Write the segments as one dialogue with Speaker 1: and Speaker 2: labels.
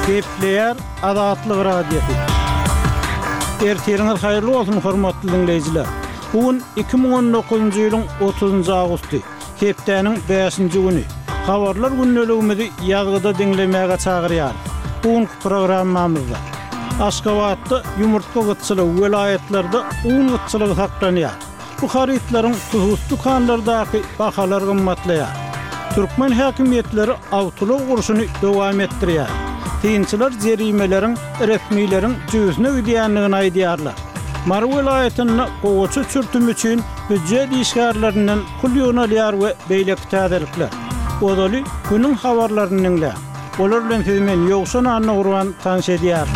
Speaker 1: Gepleýär Azatlyk Radiosy. Ertiriňiz haýyrly bolsun, hormatly diňleýjiler! Bu gün 2019-njy ýylyň 30-njy awgusty, hepdäniň bäşinji güni. Habarlar gündeligimizi ýazgyda diňlemäge çagyrýarys. Bu günki programmamyzda Aşgabatda ýumurtga gytçylygy, welaýatlarda un gytçylygy saklanýar. Bu harytlaryň hususy dükanlardaky bahalar gymmatlaýar. Türkmen häkimiýetleri awtoulag urşuny dowam etdirýär. Synçylar jerimeleriň resmileriň jübüsine gidýändigini aýdýarlar. Mary welaýatynda gowaça çürtümi üçin býujet işgärlerinden pul ýygnalýar we beýleki täzelikler. Ozaly günüň habarlaryny diňläň. Olar bilen sizi men Ýowşan Annagurban tanyş edýärin.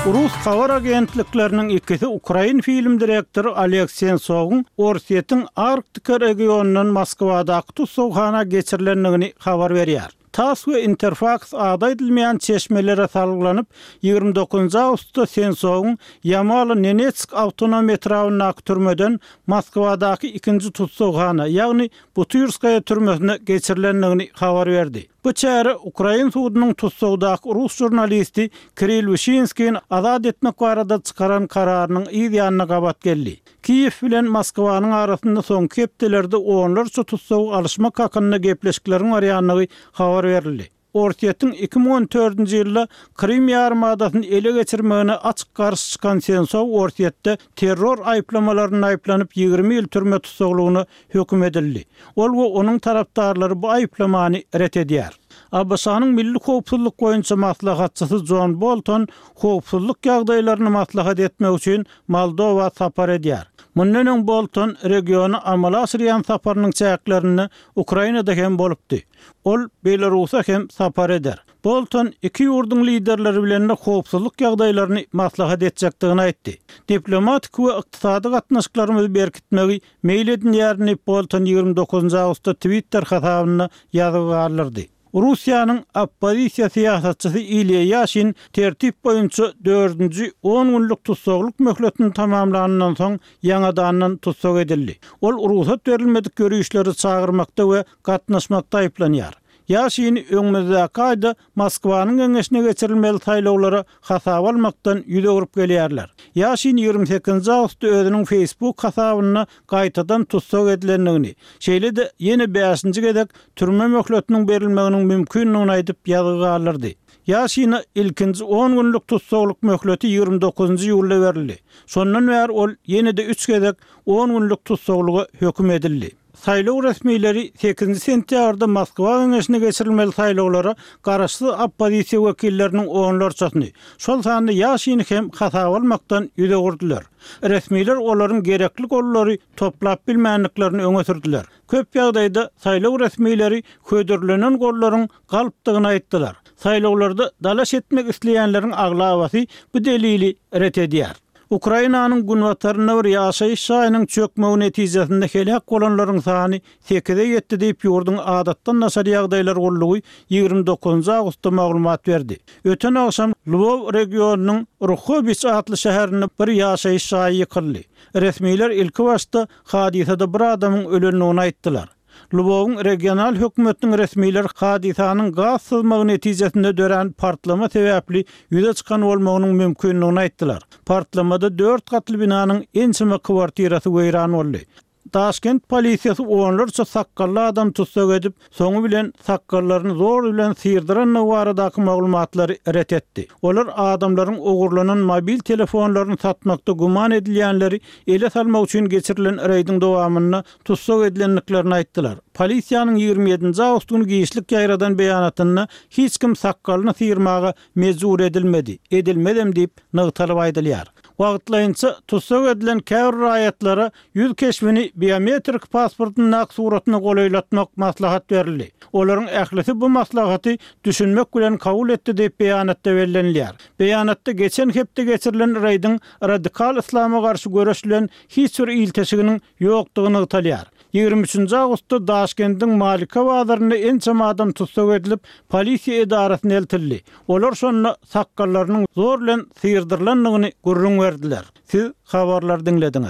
Speaker 1: Rus habar agentlikleriniň ikisi ukrain film direktory Oleg Sentsowyň Orsýetiň Arktika regionyndan Moskwadaky tussaghana geçirilendigini habar berýär. Tass we Interfaks ady aýdylmaýan çeşmelere salgylanyp, 29 awgustda Sentsowyň Ýamalo-Nenetsk awtonom etrabyndaky türmeden Moskwadaky ikinji tussaghana, ýagny Butyrskaýa türmesine geçirilendigini habar berdi. Bu çäre ukrain sudunyň tussagdaky rus žurnalisti Kirill Wişinskini azat etmek barada çykaran kararynyň yz ýanyna gabat geldi. Kiýew bilen Moskwanyň arasynda soňky hepdelerde onlarça tussagy alyşmak hakynda gepleşikleriň barýandygy habar berildi. Orsýetiň 2014-nji ýylda Krym ýarymadasyny ele geçirmegine açyk garşy çykan Sensow Orsýetde terror aýyplamalarynda aýyplanyp 20 ýyl türme tussaglygyna höküm edildi. Ol we onuň tarapdarlary bu aýyplamany ret edýär. ABŞ-nyň Milli howpsuzlyk boýunça maslahatçysy Jon Bolton howpsuzlyk ýagdaýlaryny maslahat etmek üçin Moldowa sapar edýär. Mundan öň Bolton regiona amala aşyrýan saparynyň çäklerinde Ukrainada hem bolupdy. Ol Belarusa hem sapar eder. Bolton iki ýurduň liderleri bilen-de howpsuzlyk ýagdaýlaryny maslahat etjekdigini aýtdy. Diplomatik we ykdysady gatnaşyklarymyzy berkitmegi meýil edinýärin diýip, Bolton 29 awgustda Twitter hasabynda ýazgy galdyrdy. Russiýanyň oppozisiýa syýasatçysy Ilýa Ýaşin tertip boýunça dördünji on günlük tussaglyk möhletini tamamlanyndan soň ýaňadandan tussag edildi. Ol rugsat berilmedik ýörişleri çagyrmakda we gatnaşmakda aýyplanýar. Ýaşini öňümizdäki aýda Moskwanyň geňeşine geçirilmeli saýlawlara hasaba almakdan ýüz öwrüp gelýärler. Ýaşin 28 awgustda özüniň Facebook hasabynda gaýtadan tussag edilendigini, şeýle-de ýene bäşinji gezek türme möhletiniň berilmeginiň mümkindigini aýdyp ýazgy galdyrdy. Ýaşine ilkinji on günlük tussaglyk möhleti 29 iýulda berildi. Şondan bäri ol ýene-de üç gezek on günlük tussaglyga höküm edildi. Saýlaw resmileri sekizinji sentýabrda Moskwa geňeşine geçirilmeli saýlawlara garaşsyz oppozisiýa wekilleriniň onlarçasyny, şol sanda Ýaşini hem hasaba almakdan ýüz öwürdiler. Resmiler olaryň gerekli gollary toplap bilmändiklerini öňe sürdüler. Köp ýagdaýda saýlaw resmileri hödürlenen gollaryň galpdygyny aýtdylar. Saýlawlarda dalaş etmek isleýänleriň aglabasy bu delili ret edýär. Ukrainanyň günbatarynda bir ýaşaýyş jaýynyň çökmegi netijesinde heläk bolanlaryň sany sekize ýetdi diýip, ýurduň Adatdan daşary ýagdaýlar gullugy 29 awgustda maglumat berdi. Öten agşam Lwow regionynyň Ruhobiç atly şäherinde bir ýaşaýyş jaýy ýykyldy. Resmiler ilkibaşda hadysada bir adamyň ölendigini aýtdylar. Lwowyň regional hökümetiniň resmileri hadysanyň gaz syzmagy netijesinde dörän partlama sebäpli ýüze çykan bolmagynyň mümkindigini aýtdylar. Partlamada dört gatly binanyň ençeme kwartirasy weýran boldy. Daşkent polisiýasy onlarça sakgally adamy tussag edip, soňy bilen sakgallaryny zor bilen syrdyrandygy baradaky maglumatlary ret etdi. Olar adamlaryň ogurlanan mobil telefonlaryny satmakda güman edilýänleri ele salmak üçin geçirilen reýdiň dowamynda tussag edilendiklerini aýtdylar. Polisiýanyň 27-nji awgust güni giçlik ýaýradan beýanatynda hiç kim sakgalyny syrmaga mejbur edilmedi, edilmezem diýip nygtalyp aýdylýar. Wagtlaýynça tussag edilen käbir raýatlara ýüz keşbini biometrik pasportyndaky suratyna golaýlatmak maslahat berildi. Olaryň ählisi bu maslahaty düşünmek bilen kabul etdi diýip beýanatda bellenilýär. Beýanatda geçen hepde geçirilen reýdiň radikal yslama garşy göreş bilen hiç bir ilteşiginiň ýokdugy nygtalýar. 23-nji awgustda Daşkendiň Malika bazarynda ençeme adam tussag edilip, polisiýa edarasyna eltildi. Olar şonda sakgallarynyň zor bilen syrdyrylandygyny gürrüň berdiler. Siz habarlary diňlediňiz.